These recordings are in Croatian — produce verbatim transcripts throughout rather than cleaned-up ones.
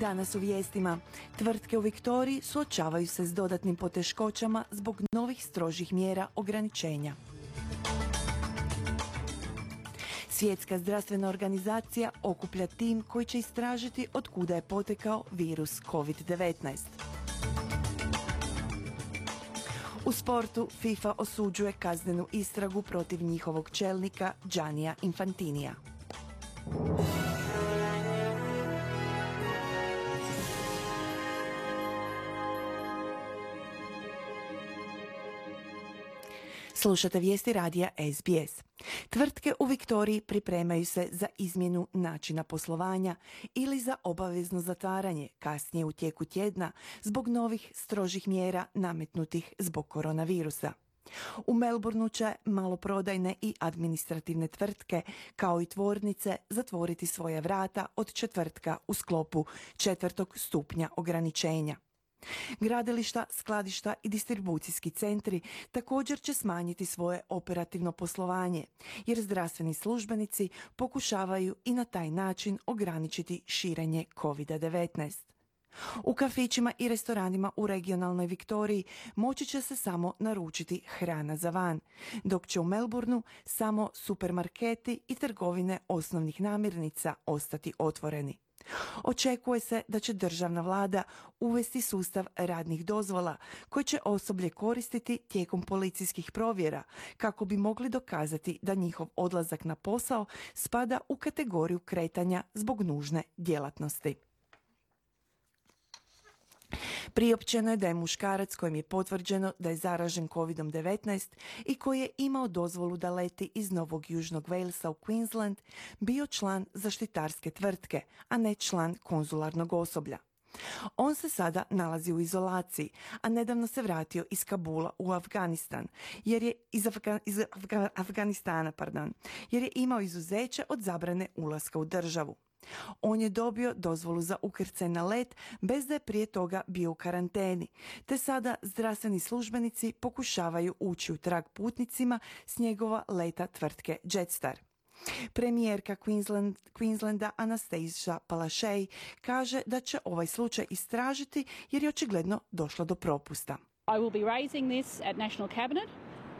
Danas u vijestima. Tvrtke u Viktoriji suočavaju se s dodatnim poteškoćama zbog novih strožih mjera ograničenja. Svjetska zdravstvena organizacija okuplja tim koji će istražiti od kuda je potekao virus kovid devetnaest. U sportu FIFA osuđuje kaznenu istragu protiv njihovog čelnika Giannija Infantinija. Slušate vijesti radija S B S. Tvrtke u Viktoriji pripremaju se za izmjenu načina poslovanja ili za obavezno zatvaranje kasnije u tijeku tjedna zbog novih strožih mjera nametnutih zbog koronavirusa. U Melbourneu će maloprodajne i administrativne tvrtke, kao i tvornice, zatvoriti svoja vrata od četvrtka u sklopu četvrtog stupnja ograničenja. Gradilišta, skladišta i distribucijski centri također će smanjiti svoje operativno poslovanje, jer zdravstveni službenici pokušavaju i na taj način ograničiti širenje kovid devetnaest. U kafićima i restoranima u regionalnoj Viktoriji moći će se samo naručiti hrana za van, dok će u Melbourneu samo supermarketi i trgovine osnovnih namirnica ostati otvoreni. Očekuje se da će državna vlada uvesti sustav radnih dozvola koji će osoblje koristiti tijekom policijskih provjera kako bi mogli dokazati da njihov odlazak na posao spada u kategoriju kretanja zbog nužne djelatnosti. Priopćeno je da je muškarac kojem je potvrđeno da je zaražen kovid devetnaest i koji je imao dozvolu da leti iz Novog Južnog Walesa u Queensland bio član zaštitarske tvrtke, a ne član konzularnog osoblja. On se sada nalazi u izolaciji, a nedavno se vratio iz Kabula u Afganistan, jer je iz, Afga, iz Afga, Afganistana, pardon, jer je imao izuzeće od zabrane ulaska u državu. On je dobio dozvolu za ukrcaj na let bez da je prije toga bio u karanteni, te sada zdravstveni službenici pokušavaju ući u trag putnicima s njegova leta tvrtke Jetstar. Premijerka Queensland, Queenslanda Anastasia Palaszczuk kaže da će ovaj slučaj istražiti jer je očigledno došlo do propusta. I will be raising this at National Cabinet.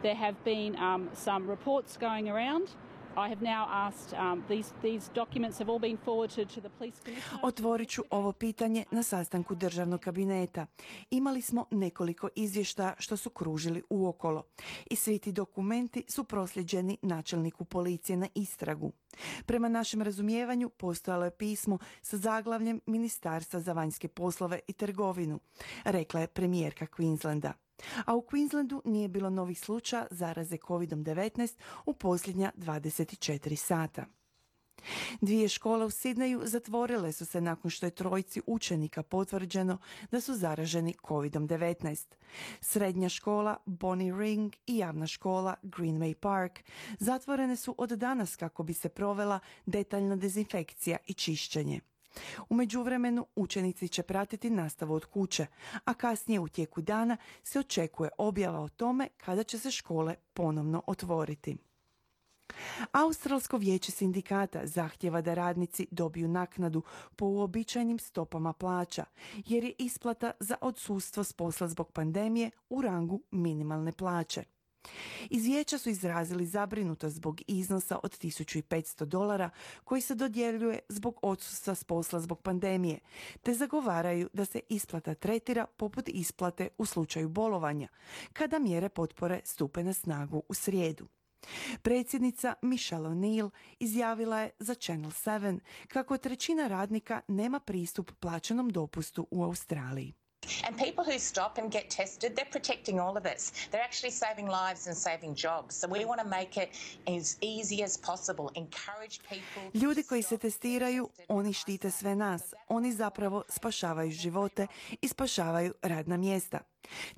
There have been um, some reports going around. I have now asked, um, these, these documents have all been forwarded to the police commissioner. Otvorit ću ovo pitanje na sastanku državnog kabineta. Imali smo nekoliko izvještaja što su kružili uokolo i svi ti dokumenti su prosljeđeni načelniku policije na istragu. Prema našem razumijevanju postojalo je pismo sa zaglavljem Ministarstva za vanjske poslove i trgovinu, rekla je premijerka Queenslanda. A u Queenslandu nije bilo novih slučaja zaraze kovid devetnaest u posljednja dvadeset četiri sata. Dvije škole u Sidneju zatvorile su se nakon što je trojici učenika potvrđeno da su zaraženi kovid devetnaest. Srednja škola Bonnie Ring i javna škola Greenway Park zatvorene su od danas kako bi se provela detaljna dezinfekcija i čišćenje. U međuvremenu učenici će pratiti nastavu od kuće, a kasnije u tijeku dana se očekuje objava o tome kada će se škole ponovno otvoriti. Australsko vijeće sindikata zahtjeva da radnici dobiju naknadu po uobičajenim stopama plaća, jer je isplata za odsustvo s posla zbog pandemije u rangu minimalne plaće. Iz vijeća su izrazili zabrinutost zbog iznosa od tisuću petsto dolara koji se dodjeljuje zbog odsustva s posla zbog pandemije, te zagovaraju da se isplata tretira poput isplate u slučaju bolovanja, kada mjere potpore stupe na snagu u srijedu. Predsjednica Michelle O'Neill izjavila je za Channel sedam kako trećina radnika nema pristup plaćenom dopustu u Australiji. And people who stop and get tested, they're protecting all of us. They're actually saving lives and saving jobs. So we want to make it as easy as possible. Encourage people. Ljudi koji se testiraju, oni štite sve nas. Oni zapravo spašavaju živote i spašavaju radna mjesta.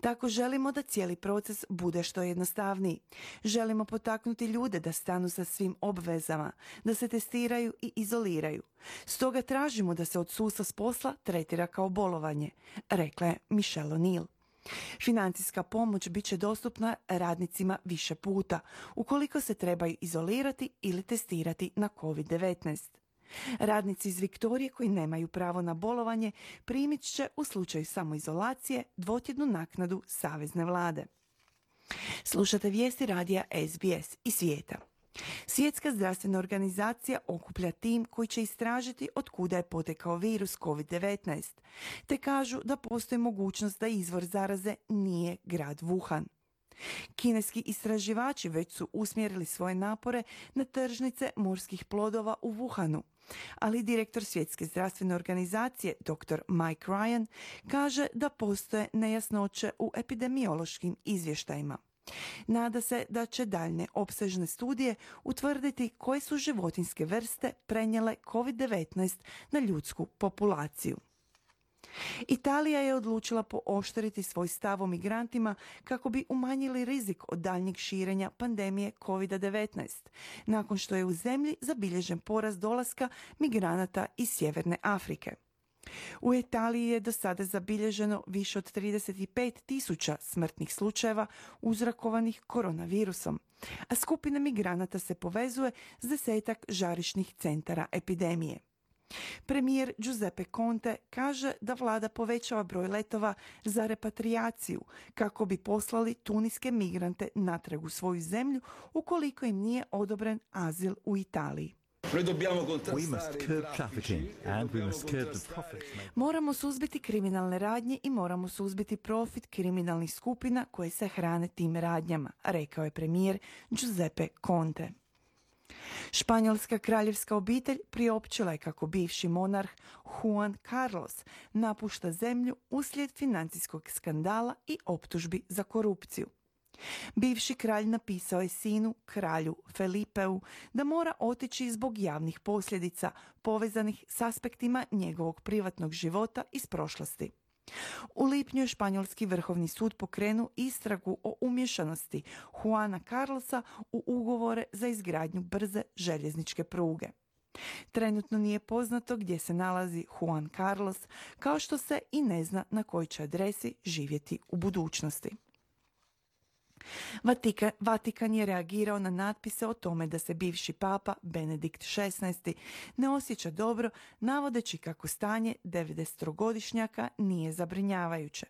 Tako želimo da cijeli proces bude što jednostavniji. Želimo potaknuti ljude da stanu sa svim obvezama, da se testiraju i izoliraju. Stoga tražimo da se odsustvo s posla tretira kao bolovanje, rekla je Michelle O'Neill. Financijska pomoć bit će dostupna radnicima više puta, ukoliko se trebaju izolirati ili testirati na kovid devetnaest. Radnici iz Viktorije koji nemaju pravo na bolovanje primit će u slučaju samoizolacije dvotjednu naknadu savezne vlade. Slušate vijesti radija S B S i svijeta. Svjetska zdravstvena organizacija okuplja tim koji će istražiti od kuda je potekao virus kovid devetnaest, te kažu da postoji mogućnost da izvor zaraze nije grad Wuhan. Kineski istraživači već su usmjerili svoje napore na tržnice morskih plodova u Wuhanu, ali direktor Svjetske zdravstvene organizacije doktor Mike Ryan kaže da postoje nejasnoće u epidemiološkim izvještajima. Nada se da će daljne opsežne studije utvrditi koje su životinjske vrste prenijele kovid devetnaest na ljudsku populaciju. Italija je odlučila pooštriti svoj stav o migrantima kako bi umanjili rizik od daljnjeg širenja pandemije kovid devetnaest, nakon što je u zemlji zabilježen porast dolaska migranata iz Sjeverne Afrike. U Italiji je do sada zabilježeno više od trideset pet tisuća smrtnih slučajeva uzrokovanih koronavirusom, a skupina migranata se povezuje s desetak žarišnih centara epidemije. Premijer Giuseppe Conte kaže da vlada povećava broj letova za repatriaciju kako bi poslali tuniske migrante natrag u svoju zemlju ukoliko im nije odobren azil u Italiji. Moramo suzbiti kriminalne radnje i moramo suzbiti profit kriminalnih skupina koje se hrane tim radnjama, rekao je premijer Giuseppe Conte. Španjolska kraljevska obitelj priopćila je kako bivši monarh Juan Carlos napušta zemlju uslijed financijskog skandala i optužbi za korupciju. Bivši kralj napisao je sinu, kralju Felipeu, da mora otići zbog javnih posljedica povezanih s aspektima njegovog privatnog života iz prošlosti. U lipnju je španjolski vrhovni sud pokrenuo istragu o umješanosti Juana Carlosa u ugovore za izgradnju brze željezničke pruge. Trenutno nije poznato gdje se nalazi Juan Carlos, kao što se i ne zna na kojoj će adresi živjeti u budućnosti. Vatika, Vatikan je reagirao na natpise o tome da se bivši papa Benedikt šesnaesti ne osjeća dobro, navodeći kako stanje devedesetogodišnjaka nije zabrinjavajuće.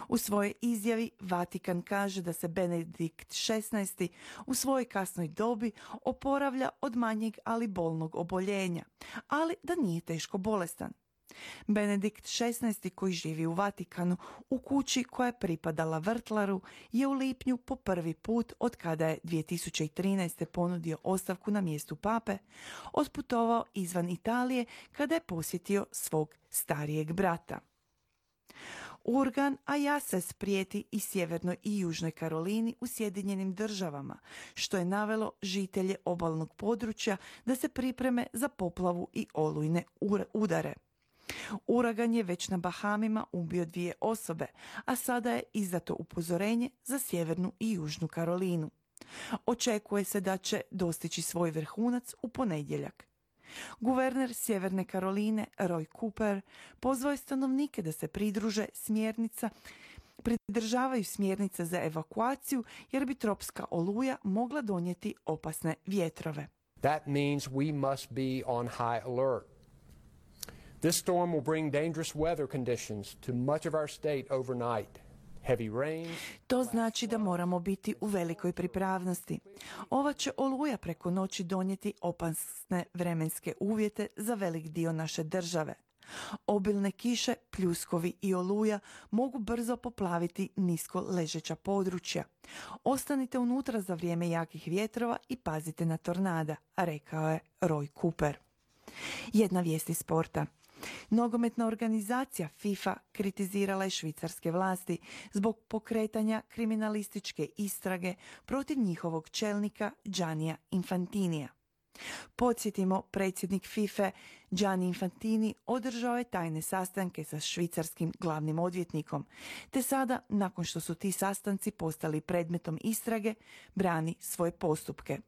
U svojoj izjavi Vatikan kaže da se Benedikt šesnaesti u svojoj kasnoj dobi oporavlja od manjeg ali bolnog oboljenja, ali da nije teško bolestan. Benedikt šesnaesti koji živi u Vatikanu u kući koja je pripadala vrtlaru je u lipnju po prvi put od kada je dvije tisuće trinaeste ponudio ostavku na mjestu pape otputovao izvan Italije kada je posjetio svog starijeg brata. Urgan Ayases prijeti i sjevernoj i južnoj Karolini u Sjedinjenim državama, što je navelo žitelje obalnog područja da se pripreme za poplavu i olujne udare. Uragan je već na Bahamima ubio dvije osobe, a sada je izdato upozorenje za sjevernu i južnu Karolinu. Očekuje se da će dostići svoj vrhunac u ponedjeljak. Guverner Sjeverne Karoline Roy Cooper pozvao je stanovnike da se pridruže smjernica, pridržavaju smjernica za evakuaciju jer bi tropska oluja mogla donijeti opasne vjetrove. That means we must be on high alert. This storm will bring dangerous weather conditions to much of our state overnight. Heavy rain. To znači da moramo biti u velikoj pripravnosti. Ova će oluja preko noći donijeti opasne vremenske uvjete za velik dio naše države. Obilne kiše, pljuskovi i oluja mogu brzo poplaviti nisko ležeća područja. Ostanite unutra za vrijeme jakih vjetrova i pazite na tornada, rekao je Roy Cooper. Jedna vijest iz sporta. Nogometna organizacija FIFA kritizirala je švicarske vlasti zbog pokretanja kriminalističke istrage protiv njihovog čelnika Giannija Infantinija. Podsjetimo, predsjednik FIFA Gianni Infantini održao je tajne sastanke sa švicarskim glavnim odvjetnikom, te sada, nakon što su ti sastanci postali predmetom istrage, brani svoje postupke.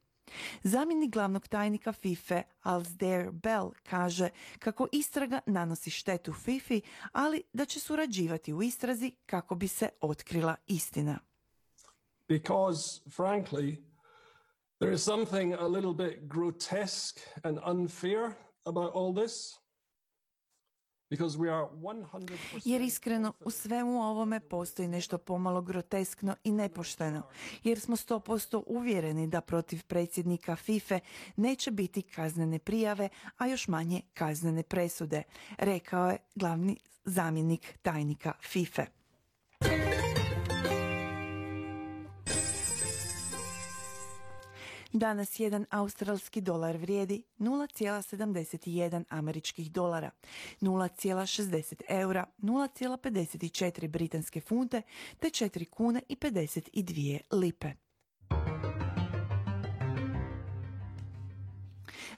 Zamjenik glavnog tajnika FIFA Alasdair Bell kaže kako istraga nanosi štetu FIFA, ali da će surađivati u istrazi kako bi se otkrila istina. Because, frankly, there is something a little bit grotesque and unfair about all this because we are one hundred percent Jer iskreno u svemu ovome postoji nešto pomalo groteskno i nepošteno, jer smo sto posto uvjereni da protiv predsjednika FIFA neće biti kaznene prijave, a još manje kaznene presude, rekao je glavni zamjenik tajnika FIFA. Danas jedan australski dolar vrijedi nula zarez sedamdeset jedan američkih dolara, nula zarez šezdeset eura, nula zarez pedeset četiri britanske funte te četiri kune i pedeset dvije lipe.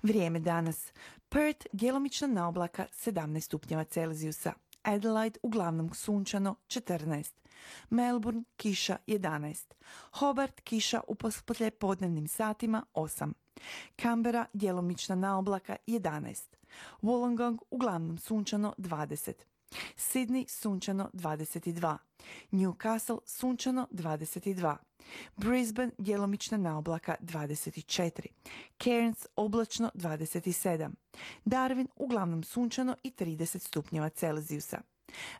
Vrijeme danas. Perth djelomična naoblaka sedamnaest stupnjeva Celzijusa. Adelaide uglavnom sunčano četrnaest. Melbourne kiša jedanaest. Hobart kiša u poslijepodnevnim satima osam. Canberra djelomična naoblaka jedanaest. Wollongong uglavnom sunčano dvadeset. Sydney sunčano dvadeset dva. Newcastle sunčano dvadeset dva. Brisbane djelomična naoblaka dvadeset četiri. Cairns oblačno dvadeset sedam. Darwin uglavnom sunčano i trideset stupnjeva Celzijusa.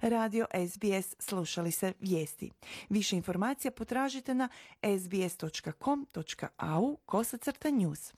Radio S B S, slušali se vijesti. Više informacija potražite na sbs dot com dot a u kosacrta news.